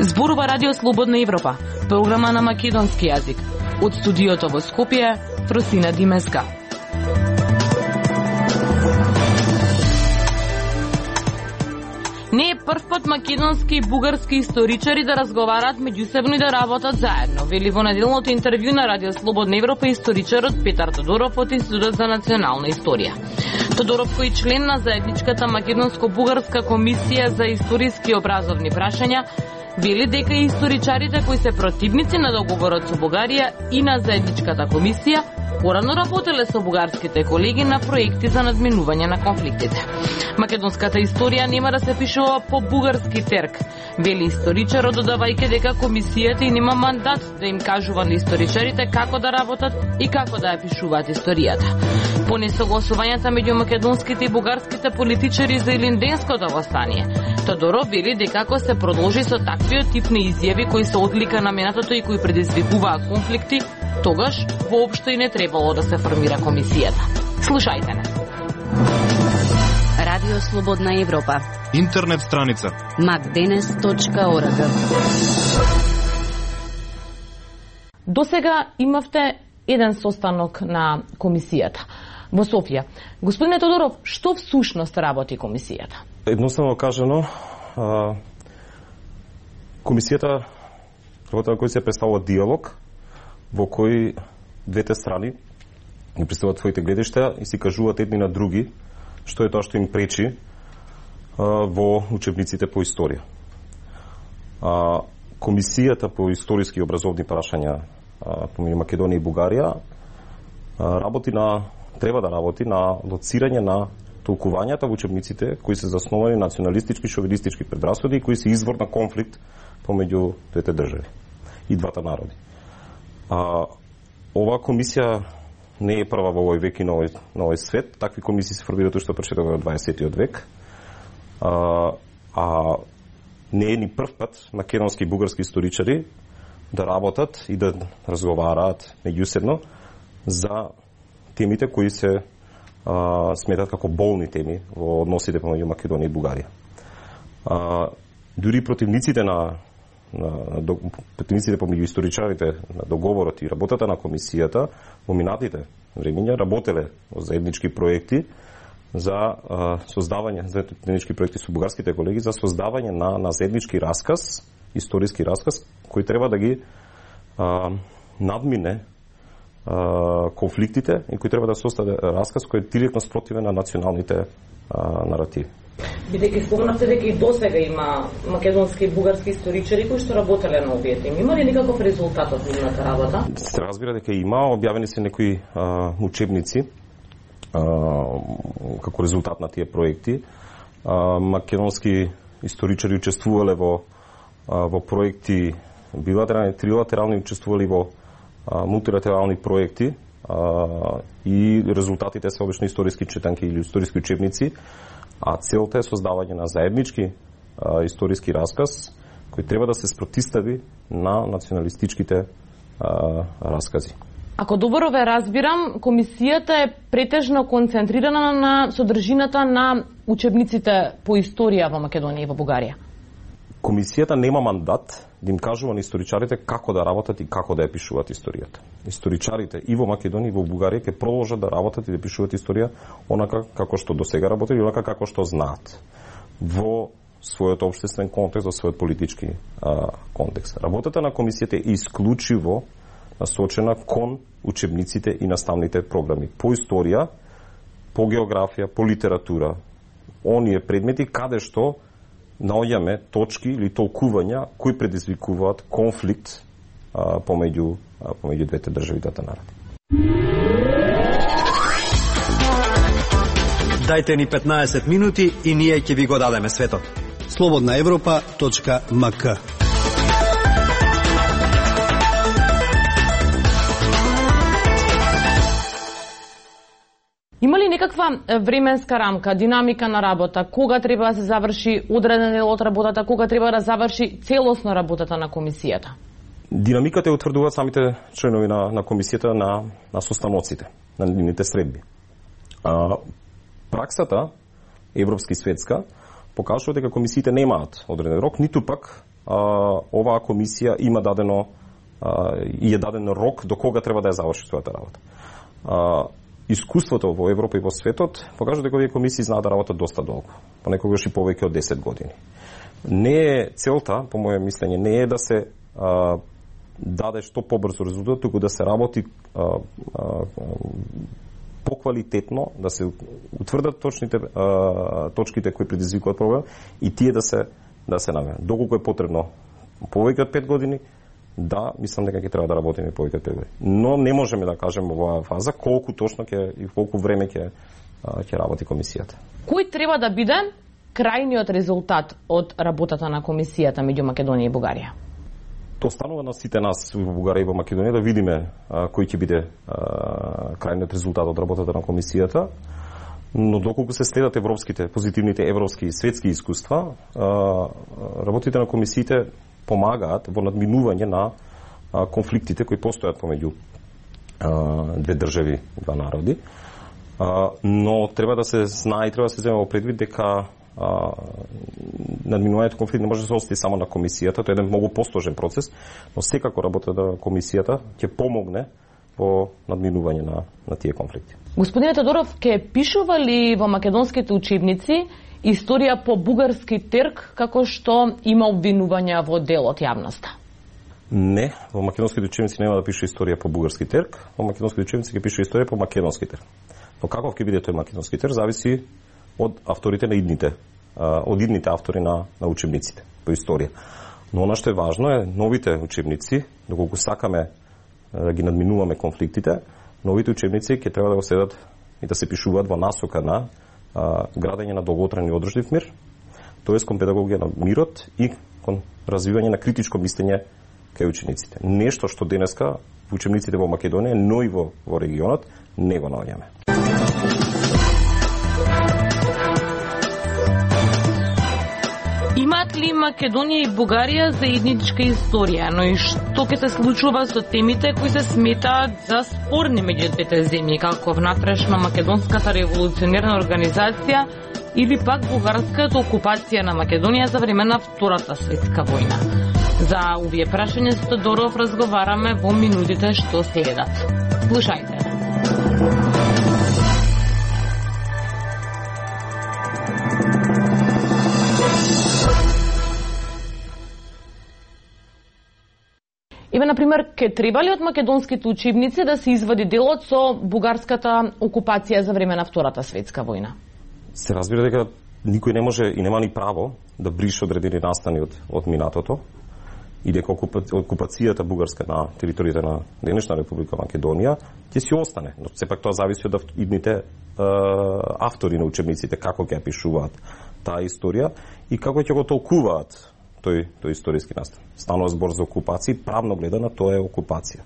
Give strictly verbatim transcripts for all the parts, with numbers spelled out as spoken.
Зборува Радио Слободна Европа, програма на македонски јазик. Од студиото во Скопје, Фросина Димеска. Не е прв пат македонски и бугарски историчари да разговараат меѓусебно и да работат заедно, вели во неделното интервју на Радио Слободна Европа историчарот Петар Тодоров од Институтот за национална историја. Тодоров, кој член на заедничката македонско-бугарска комисија за историски и образовни прашања, вели дека и историчарите кои се противници на договорот со Бугарија и на заедничката комисија порано работеле со бугарските колеги на проекти за надминување на конфликтите. Македонската историја нема да се пишува по бугарски терк, вели историчарот, додавајќи дека комисијата и нема мандат да им кажува на историчарите како да работат и како да ја пишуваат историјата. По несогласувањата меѓу македонските и бугарските политичари за Илинденското востание, Тодоров вели дека ако се продолжи со таквиот тип на изјави кои се одлика на минатото и кои предизвикуваат конфликти, тогаш воопшто и не требало да се формира комисијата. Слушајте не. Радио Слободна Европа. Интернет страница макденес точка орг. Досега имавте еден состанок на комисијата во Софија. Господине Тодоров, што всушност работи комисијата? Едноставно кажано, а, комисијата работа на кој се представува диалог во кој двете страни ги представуваат своите гледишта и си кажуваат едни на други што е тоа што им пречи а, во учебниците по историја. А, комисијата по историски и образовни прашања помеѓу Македонија и Бугарија а, работи на треба да работи на лоцирање на толкувањата во учебниците кои се засновани на националистички, шовинистички предрасуди и кои се извор на конфликт помеѓу двете држави и двата народи. А, оваа комисија не е прва во овој век и на овој, на овој свет. Такви комисии се формираат уште почетокот на дваесеттиот век. А, а не е ни прв пат македонски и бугарски историчари да работат и да разговараат меѓусебно за темите кои се а, сметат како болни теми во односите помеѓу Македонија и Бугарија. А, дури противниците на, на, на противниците помеѓу историчарите на договорот и работата на комисијата во минатите времиња работеле во заеднички проекти за а, создавање заеднички проекти со бугарските колеги за создавање на, на заеднички расказ, историски расказ кој треба да ги а, надмине а, конфликтите и кој треба да состави расказ кој е директно спротивен на националните а, наративи. Бидејќи спомнавте дека и досега има македонски и бугарски историчари кои што работеле на овие теми. Има ли никаков резултат од нивната работа? Се разбира дека има, објавени се некои а, учебници а, како резултат на тие проекти. А, македонски историчари учествувале во а, во проекти билатерални, трилатерални, учествували во а, мултилатерални проекти а, и резултатите се обично историски читанки или историски учебници, а целта е создавање на заеднички а, историски расказ кој треба да се спротистави на националистичките а, раскази. Ако добро ве разбирам, комисијата е претежно концентрирана на содржината на учебниците по историја во Македонија и во Бугарија. Комисијата нема мандат да им кажува на историчарите како да работат и како да ја пишуваат историјата. Историчарите и во Македонија и во Бугарија ќе продолжат да работат и да пишуваат историја онака како што досега работат и онака како што знаат во својот општествен контекст, во својот политички а, контекст. Работата на комисијата е исклучиво насочена кон учебниците и наставните програми по историја, по географија, по литература. Оние предмети каде што наоѓаме точки или толкувања кои предизвикуваат конфликт а, помеѓу, а, помеѓу двете држави и двата народи. Дајте ни петнаесет минути и ние ќе ви го дадеме светот. слободна европа точка ем ка. Има ли некаква временска рамка, динамика на работа, кога треба да се заврши одреден дел од работата, кога треба да заврши целосно работата на комисијата? Динамиката ја утврдуваат самите членови на, на комисијата на, на состаноците. на нивните средби. А, праксата, европски и светска, покажува дека комисиите немаат одреден рок, ниту пак а, оваа комисија има дадено а, и е даден рок до кога треба да ја заврши својата работа. А, искуството во Европа и во светот покажува дека овие комисии знаат да работат доста долго, понекогаш и повеќе од десет години. Не е целта, по моје мислење, не е да се а, даде што побрзо резултат, туку да се работи а, а, поквалитетно, да се утврдат точните а, точките кои предизвикуваат проблем и тие да се да се наменат. Доколку е потребно повеќе од пет години, да, мислам дека ќе треба да работиме повеќе од пет години. Но не можеме да кажеме во оваа фаза колку точно ќе и колку време ќе ќе работи комисијата. Кој треба да биде крајниот резултат од работата на комисијата меѓу Македонија и Бугарија? То останува на сите нас во Бугарија и во Македонија да видиме а, кој ќе биде а, крајниот резултат од работата на комисијата. Но доколку се следат европските, позитивните европски и светски искуства, а, работите на комисиите помагаат во надминување на а, конфликтите кои постојат помеѓу а, две држави, два народи. А, но треба да се знае и треба да се земе во предвид дека а, надминувањето конфликт не може да се остави само на комисијата, тоа е еден многу посложен процес, но секако работата на комисијата ќе помогне во надминување на, на тие конфликти. Господине Тодоров, ке пишува ли во македонските учебници историја по бугарски терк, како што има обвинувања во дел од јавноста? Не, во македонските учебници нема да пише историја по бугарски терк, во македонските учебници ќе пише историја по македонски терк. Но каков ќе биде тој македонски терк зависи од авторите на идните, од идните автори на, на учебниците по историја. Но она што е важно е новите учебници, доколку сакаме да ги надминуваме конфликтите, новите учебници ќе треба да го следат и да се пишуваат во насока на а, градење на долготрајен и одржлив мир, тоест кон педагогија на мирот и кон развивање на критичко мислење кај учениците. Нешто што денеска во учебниците во Македонија, но и во, во регионот, не го наоѓаме. Имаат ли Македонија и Бугарија заедничка историја, но и што ќе се случува со темите кои се сметаат за спорни меѓу двете земји, како внатрешно македонската револуционерна организација или пак бугарската окупација на Македонија за време на Втората светска војна? За овие прашања со Тодоров разговараме во минутите што следат. Слушајте. Еве, например, ке треба ли од македонските учебници да се извади делот со бугарската окупација за време на Втората светска војна? Се разбира дека никој не може и нема ни право да брише одредени настани од, од минатото и дека окупацијата бугарска на територијата на денешна Република Македонија ќе си остане. Но сепак тоа зависи од идните е, автори на учебниците, како ќе ја пишуваат таа историја и како ќе го толкуваат тој, тој историски настан. Станува збор за окупација, правно гледано тоа е окупација.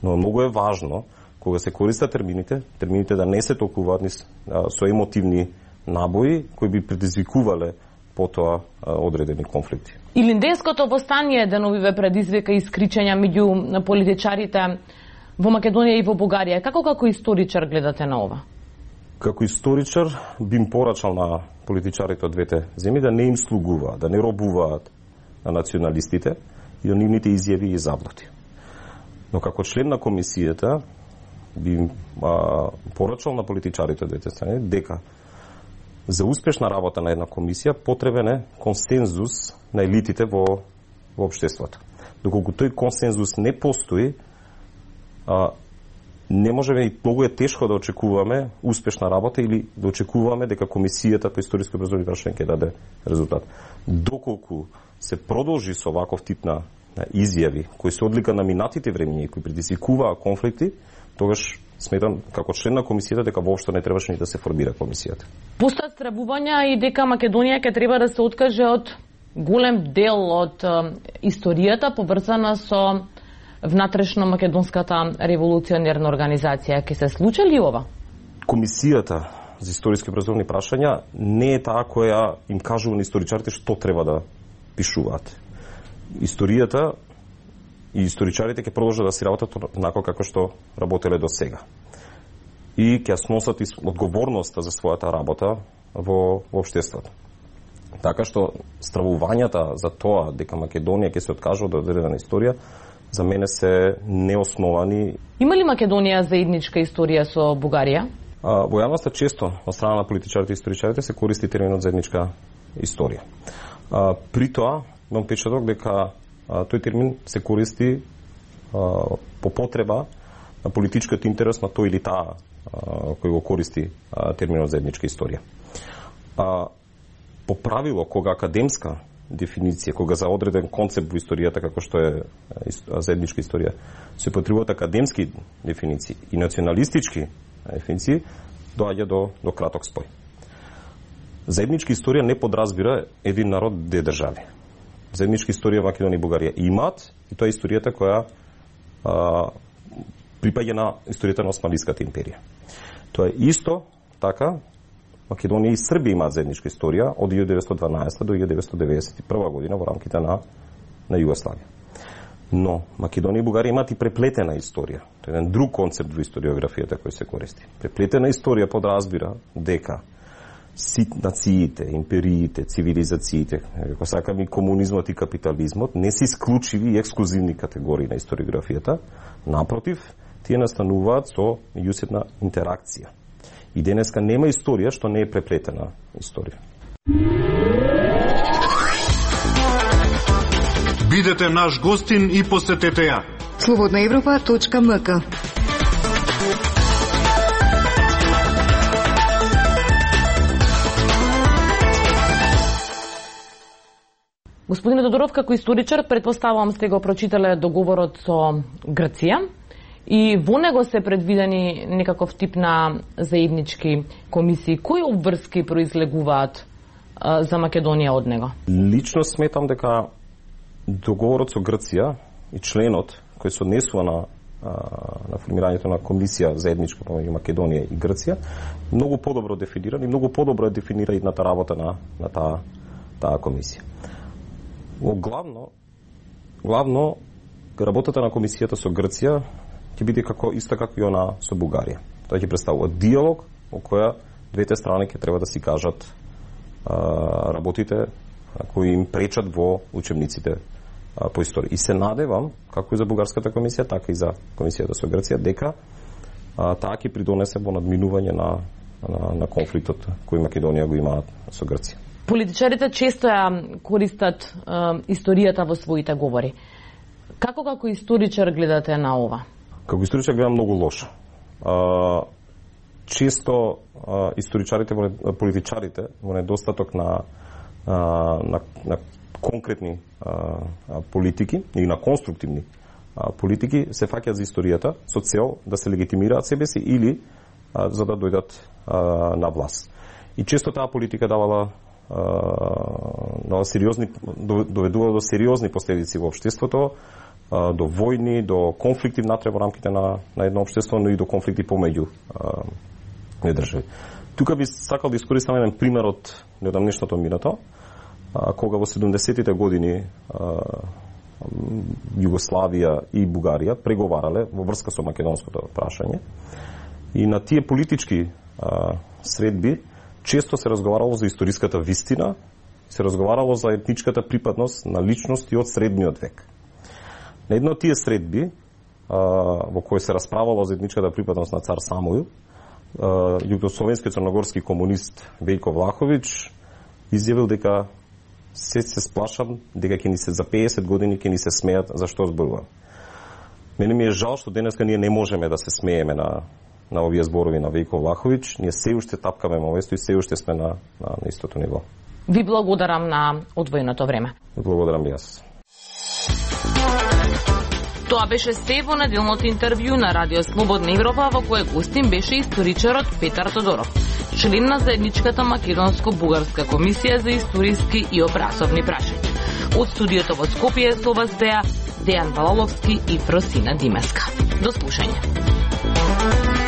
Но многу е важно, кога се користат термините, термините да не се толкуваат со емотивни набои кои би предизвикувале потоа одредени конфликти. Илинденското востание деновиве предизвика искричања меѓу политичарите во Македонија и во Бугарија. Како како историчар гледате на ова? Како историчар би им порачал на политичарите од двете земји да не им слугуваат, да не робуваат на националистите и на нивните изјави и заблуди. Но како член на комисијата би а, порачал на политичарите од двете страни дека за успешна работа на една комисија потребен е консензус на елитите во, во општеството. Доколку тој консензус не постои, а, не можеме и многу е тешко да очекуваме успешна работа или да очекуваме дека комисијата по историски образовни прашања ќе даде резултат. Доколку се продолжи со ваков тип на, на изјави кои се одлика на минатите времиња и кои предизвикуваа конфликти, тогаш сметам како член на комисијата дека воопшто не требаше ни да се формира комисијата. Постојат стравувања и дека Македонија ќе треба да се откаже од голем дел од е, историјата поврзана со внатрешно македонската револуционерна организација. Ќе се случи ли ова? Комисијата за историски образовни прашања не е таа која им кажува на историчарите што треба да пишуваат. Историјата и историчарите ќе продолжат да си работат онако како што работеле до сега. и ќе сносат одговорноста за својата работа во општеството. Така што стравувањата за тоа дека Македонија ќе се откажува од одредена историја за мене се неосновани. Има ли Македонија заедничка историја со Бугарија? А, во јавноста често од страна на политичарите и историчарите се користи терминот заедничка историја. А, при тоа, имам впечаток дека а, тој термин се користи а, по потреба на политичкиот интерес на тој или таа а, кој го користи а, терминот заедничка историја. А, по правило, кога академска дефиниција, кога за одреден концепт во историјата, како што е заедничка историја, се потребуваат академски дефиниции и националистички дефиниции, доаѓа до, до краток спој. Заедничка историја не подразбира един народ, две држави. Заедничка историја Македонија и Бугарија имаат, и тоа е историјата која а, припаѓа на историјата на Османлиската империја. Тоа е исто така, Македонија и Србија имаат заедничка историја од илјада деветстотини и дванаесета до илјада деветстотини деветдесет и прва година во рамките на, на Југославија. Но Македонија и Бугарија имаат и преплетена историја. Тоа е еден друг концепт во историографијата кој се користи. Преплетена историја подразбира дека нациите, империите, цивилизациите, како сакаме и комунизмот и капитализмот, не се исклучиви и ексклузивни категории на историографијата. Напротив, тие настануваат со меѓусебна интеракција. И денеска нема историја што не е преплетена историја. Бидете наш гостин и посетете ја. слободна европа точка ем ка. Господине Тодоров, како историчар, претпоставувам сте го прочитале договорот со Грција. И во него се предвидени некаков тип на заеднички комисии. Кои обврски произлегуваат а, за Македонија од него? Лично сметам дека договорот со Грција и членот кој се однесува на, на формирањето на комисија заедничка помеѓу Македонија и Грција многу подобро дефиниран и многу подобро е дефинира идната работа на, на таа, таа комисија. Во главно, главно работата на комисијата со Грција ќе биде како иста како и она со Бугарија. Тоа ќе представува диалог во која двете страни ќе треба да си кажат а, работите а, кои им пречат во учебниците а, по историја. И се надевам, како и за бугарската комисија, така и за комисијата со Грција, дека а, таа ќе придонесе во надминување на, на, на конфликтот кој Македонија го имаат со Грција. Политичарите често ја користат а, историјата во своите говори. Како како историчар гледате на ова? Како историчар гледам многу лошо. А, често а, историчарите, политичарите во недостаток на, а, на, на конкретни а, политики и на конструктивни а, политики се фаќаат за историјата со цел да се легитимираат себе си или а, за да дојдат а, на власт. И често таа политика давала а, сериозни, доведува до сериозни последици во општеството, до војни, до конфликти внатре во рамките на, на едно општество, но и до конфликти помеѓу држави. Тука би сакал да искористам еден пример од недавнешното минато, а, кога во седумдесетите години а, Југославија и Бугарија преговарале во врска со македонското прашање. И на тие политички а, средби често се разговарало за историската вистина, се разговарало за етничката припадност на личности од средниот век. На едно од тие средби, а, во кој се расправало за етничката припадност на цар Самуил, југословенски црногорски комунист Вејко Влаховиќ изјавил дека се се сплашам дека ќе ни се за педесет години ќе ни се смеат за што зборувам. Мене ми е жал што денеска ние не можеме да се смееме на на овие зборови на Вејко Влаховиќ. Ние се уште тапкаме во место и се уште сме на, на, на истото ниво. Ви благодарам на одвоеното време. Благодарам и јас. Тоа беше се во неделното интервју на Радио Слободна Европа, во кое гостин беше историчарот Петар Тодоров, член на заедничката македонско-бугарска комисија за историски и образовни прашања. Од студиото во Скопје со вас беа Дејан Балаловски и Просина Димеска. До слушање.